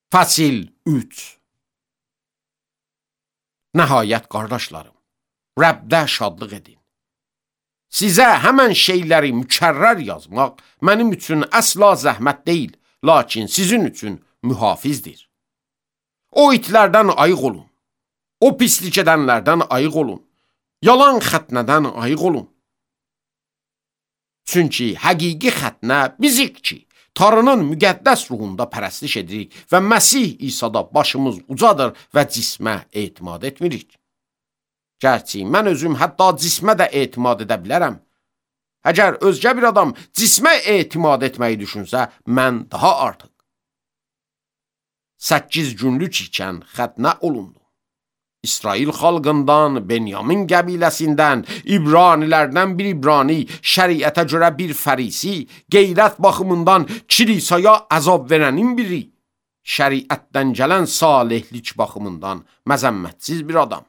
Fəsil 3. Nəhayət, qardaşlarım, Rəbdə şadlıq edin. Sizə həmən şeyləri mükərrər yazmaq mənim üçün əsla zəhmət deyil, lakin sizin üçün mühafizdir. O itlərdən ayıq olun, o pislik edənlərdən ayıq olun, yalan xətnədən ayıq olun. Çünki həqiqi xətnə bizik ki, Tanrının müqəddəs ruhunda pərəstiş edirik və Məsih İsa'da başımız ucadır və cismə etimad etmirik. Gərçi mən özüm hətta cismə də etimad edə bilərəm. Əgər özgə bir adam cismə etimad etməyi düşünsə, mən daha artıq. 8 günlük ikən xətnə olundu. İsrail xalqından, Benyamin qəbiləsindən, İbranilərdən bir İbrani, şəriətə görə bir fərisi, qeyrət baxımından kilisaya əzab verənin biri, şəriətdən gələn salihlik baxımından məzəmmətsiz bir adam.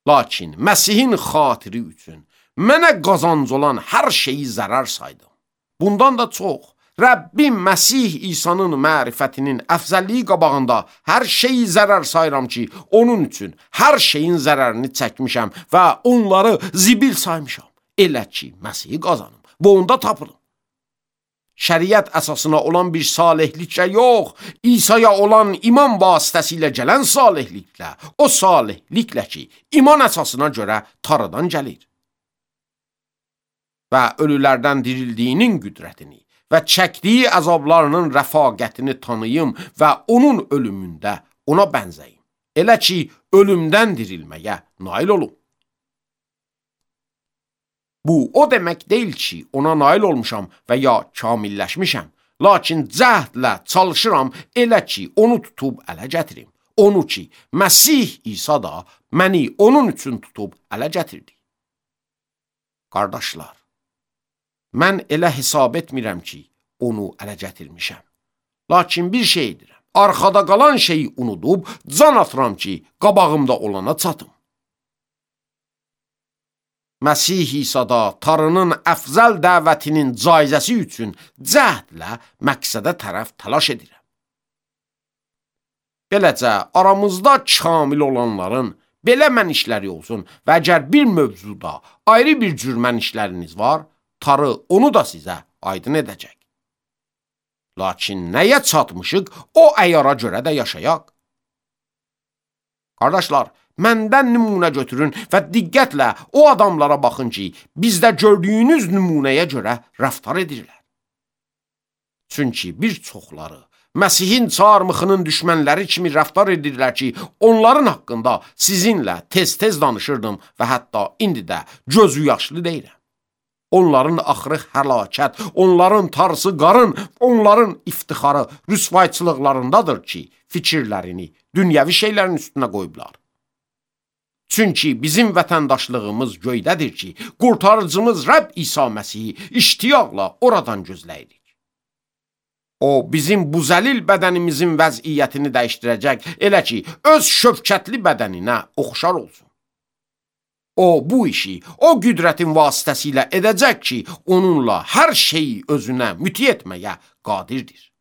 Lakin Məsihin xatiri üçün mənə qazanc olan hər şeyi zərər saydım. Bundan da çox, Rəbbim Məsih İsa'nın mərifətinin əfzəlliyi qabağında hər şeyi zərər sayıram ki, onun üçün hər şeyin zərərini çəkmişəm və onları zibil saymışam. Elə ki, Məsihi qazanım və onda tapırım. Şəriət əsasına olan bir salihliklə yox, İsa'ya olan iman vasitəsilə gələn salihliklə, o salihliklə ki, iman əsasına görə Tanrıdan gəlir. Və ölülərdən dirildiyinin qüdrətini və çəkdiyi əzablarının rəfaqətini tanıyım və onun ölümündə ona bənzəyim. Elə ki, ölümdən dirilməyə nail olum. Bu, o demək deyil ki, ona nail olmuşam və ya kamilləşmişəm. Lakin cəhdlə çalışıram elə ki, onu tutub ələ gətirim. Onu ki, Məsih İsa da məni onun üçün tutub ələ gətirdi. Qardaşlar, mən elə hesab etmirəm ki, onu ələ gətirmişəm. Lakin bir şey edirəm. Arxada qalan şeyi unudub, can atıram ki, qabağımda olana çatım. Məsih İsa'da Tanrının əfzəl dəvətinin caizəsi üçün cəhdlə məqsədə tərəf təlaş edirəm. Beləcə, aramızda kamil olanların belə mənişləri olsun və əgər bir mövzuda ayrı bir cür mənişləriniz var, Tanrı onu da sizə aydın edəcək. Lakin nəyə çatmışıq, o əyara görə də yaşayaq. Qardaşlar, məndən nümunə götürün və diqqətlə o adamlara baxın ki, bizdə gördüyünüz nümunəyə görə rəftar edirlər. Çünki bir çoxları Məsihin çarmıxının düşmənləri kimi rəftar edirlər ki, onların haqqında sizinlə tez-tez danışırdım və hətta indi də gözü yaşlı deyirəm. Onların axırı həlakət, onların tarısı qarın, onların iftixarı rüsvayçılıqlarındadır ki, fikirlərini dünyəvi şeylərin üstünə qoyublar. Çünki bizim vətəndaşlığımız göydədir ki, qurtarıcımız Rəbb İsa Məsihi iştiyaqla oradan gözləyirik. O, bizim bu zəlil bədənimizin vəziyyətini dəyişdirəcək, elə ki, öz şövkətli bədəninə oxşar olsun. O, bu işi o qüdrətin vasitəsilə edəcək ki, onunla hər şeyi özünə müti etməyə qadirdir.